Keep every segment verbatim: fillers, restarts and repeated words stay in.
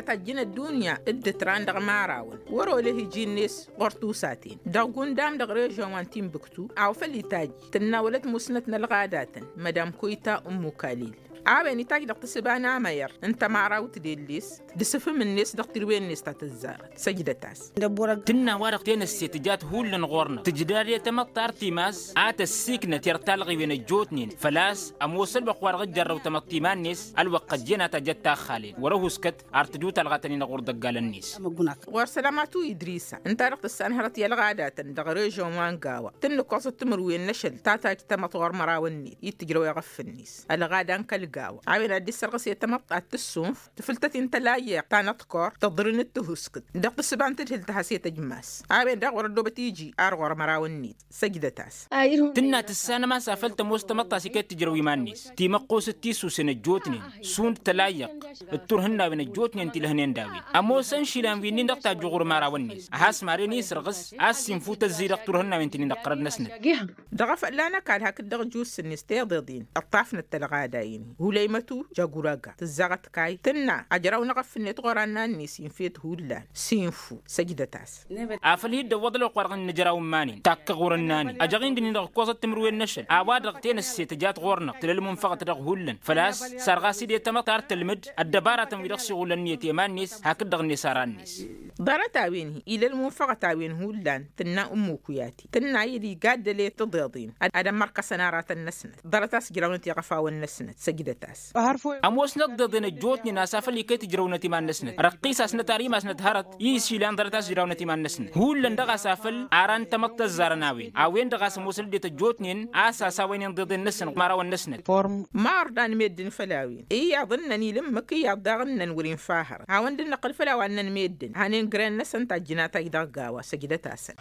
tajjǝn ăddunya dd-tran dăɣ-imărawăn wăr-olăh iji-net ɣur-tusaten dăɣ-gundam dăɣ-režon wa n-tinbǝktu. A-wa făl itajj tǝnna wăla ătmusnăt n-ălɣadatăn mădam koyta ummu kalil. A-wen itajj dăɣ-tǝssǝba n-amăyăr n-tămarawt d-elles d-asǝfǝm-net dăɣ-tirǝwen-net ta tǝzzarăt săjdăt-as. Tǝnna wa-dăɣ tenăsse tǝjat hullan ɣur-năɣ tǝjdad i-tamăḍt ta ărtimaz a tăssiknăt i-ărtalɣiwen ăjjootnen făl-a-s ămoos ălwăqq wa dăɣ-ăjjarrăw tamăḍt iman-net. Ălwăqq ăjjeen a tajăt taxxalen wăr-ăhuskăt ar tǝju talɣa-tăn-in ɣur-dăggalăn-net. Ɣur-sălamatu idrisa ǝnta-dăɣ tǝssanhărăt i-ălɣadatăn dăɣ-režon wa n-gawa tǝnnǝkkoẓăt timǝrwen n-ašăl ta tajj tamăḍt ɣur-măraw-net i-tǝjrăw i-iɣăff-net ălɣada n-kăl-gawa a-wen ad-dd-issărɣǝs i-tamăḍt ad-tǝssunf tǝfǝltăt-in tălayyăɣ ta n-aḍkor tăḍrǝnǝt tǝhuskǝt dăɣ-tǝssǝba n-tǝdhǝlt a has-e-tăjmass. A-wen-dăɣ wăr-ăddobăt iji ar ɣur-măraw-net săjdăt-as. Tǝnna tǝssanăm a-s afăl tămoos tamăḍt ta s-iket tǝjrăw iman-net timăqqosăt tisusen ăjjootnen šund tălayyăɣt d-turhǝnnawen ăjjootnen ti lăhnen d-a-wen ămoosăn išilan wi-nin-dăɣ tajju ɣur-imărawăn-net a has-maren isǝrɣǝs a-s sinfu tăzzidăɣ turhǝnnawen ti-nin-dăɣ tărăt-năsnăt. Dăɣ-afălla n-ăkall hakd-dăɣ ăjus-net tiḍeḍen ǝṭṭafnăt tălɣada-in hulăymătu jaguraga tǝzzaɣăt kayy tǝnna ajraw n-eɣăf-net ɣur-annan-net infa-t hullan sinfu săjdăt-as. Afăl hi-dd-ăwwăḍ ălwăqq wa dăɣ-nǝjraw n-iman-in takkăɣ wăr-ǝnnan-in ăjăɣ-in dăɣ-nǝnɣǝkkoẓăt timǝrwen n-ašăl a-wa-dăɣ tenăsse tǝjat ɣur-năɣ tǝla ălmunfăɣăt dăɣ-hullan făl-a-s sarɣas-dd i-tamăḍt ar tălmǝd ăddăbaratăn wi-dăɣ s-iɣulăn iyyăt i-iman-net hakd-dăɣ-net aran-net. Ḍarăt-a-wen-hi ila ălmunfăɣăt a-wen hullan tǝnna ǝmmuk uyati tǝnna-dd igaddăl i-tiḍeḍen ad-ămmărkăsăn aratăn-năsnăt ḍarăt a-s ǝjrawnăt iɣăfawăn-năsnăt săjdăt-as. Ămoosnăt tiḍeḍen ăjjootnen a-s afăl iket ǝjrăwnăt iman-năsnăt răqqisasnăt ar imasnăt hărăt i-išilan ḍarăt a-s ǝjrawnăt iman-năsnăt hullan dăɣ-a-s afăl aran tamăḍt ăzzarăn a-wen a-wen-dăɣ a-s ămoosăn ăddinăt ăjjootnen a-s asawăynen tiḍeḍen-năsnăt ɣur-mărawăn-năsnăt. Ma ărḍan meddǝn făll-a-wen iyyăḍ ǝnnăn ilǝmmǝk iyyăḍ daɣ ǝnnăn wăr-infa hărăt hawăn-dd-năqqǝl făll-a-wa ǝnnăn meddǝn hanen gren-năsăn tajjǝn a tajj dăɣ-gawa săjdăt-asăn.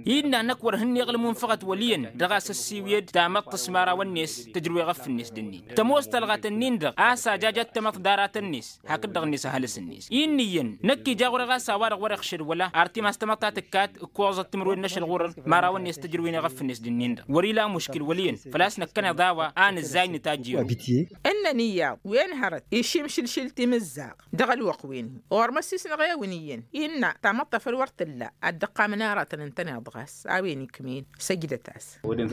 Innă năkk wăr hǝnneɣ ălmunfăɣăt wăl' iyyăn dăɣ-a-s ăssiwǝyăd tamăḍt s-imărawăn-net tǝjrǝw eɣăf-net d-ǝnnin tămoos talɣat-ǝnnin-dăɣ a-s ajajat tamăḍt d-aratăn-net hakd-dăɣ-net ăhalǝs-net. Innă iyyăn năkk ija ɣur-e ɣas a-wa-dăɣ wăr-iɣšăd wăla ar timas tamăḍt ta tǝkkat ǝkkoẓăt timǝrwen n-ašăl ɣur-mărawăn-net tǝjrǝwen eɣăf-net d-ǝnnin-dăɣ wăr-ila muškǝl wăl' iyyăn făl-a-s năkkăneḍ a-wa a nǝzzay nǝtajj i-wăr. Ǝnnăn iyyăḍ wen hărăt išimšǝlšǝl timǝzzaɣ dăɣ-ălwăqq-wen-hi ɣur-măssisnăɣ i-wǝn iyyăn innă tamăḍt ta făl wăr t-tǝlla ad-dd-ăqqamăn aratăn ǝntăneḍ ɣas a-wen ikm'-en. Săjdăt-as.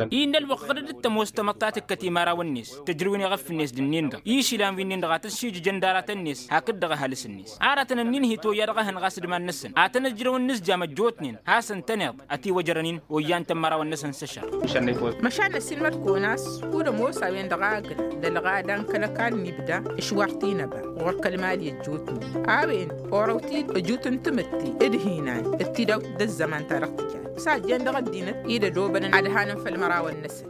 Innă ălwăqq ɣǝdăd d-tămoos tamăḍt ta tǝkkăt i-imărawăn-net tǝjrǝw-in iɣăf-net d-ǝnnin-dăɣ išilan wi-nin-dăɣ a tăssiijǝjăn d-aratăn-net hakd dăɣ-ăhalǝs-net aratăn-ǝnnin hi-toyya dăɣ-ehăn ɣas d-iman-năsăn ad-tăn-ǝjrăwăn inǝzjam ăjjootnen hasăn-tăneḍ ătiwăjrăn-in. Oyyan-tăn imărawăn-năsăn s-ăššăɣ. Măšan năssiilmăd-kăwăn a-s kud-ămoos a-wen-dăɣ agǝl d-ălɣada n-kăl-ăkall n-ibda ǝšwar tinăba ɣur-kăl-mali ăjjootnen a-wen orăw-t-dd ăjut n-tamǝtte d-hinan d-tidawt d-ăzzăman ta dăɣ-tǝjat s-a ăjjeen dăɣ-ăddinăt i-dd-ădobănăn ad-hanăn făll-imărawăn-năsăn.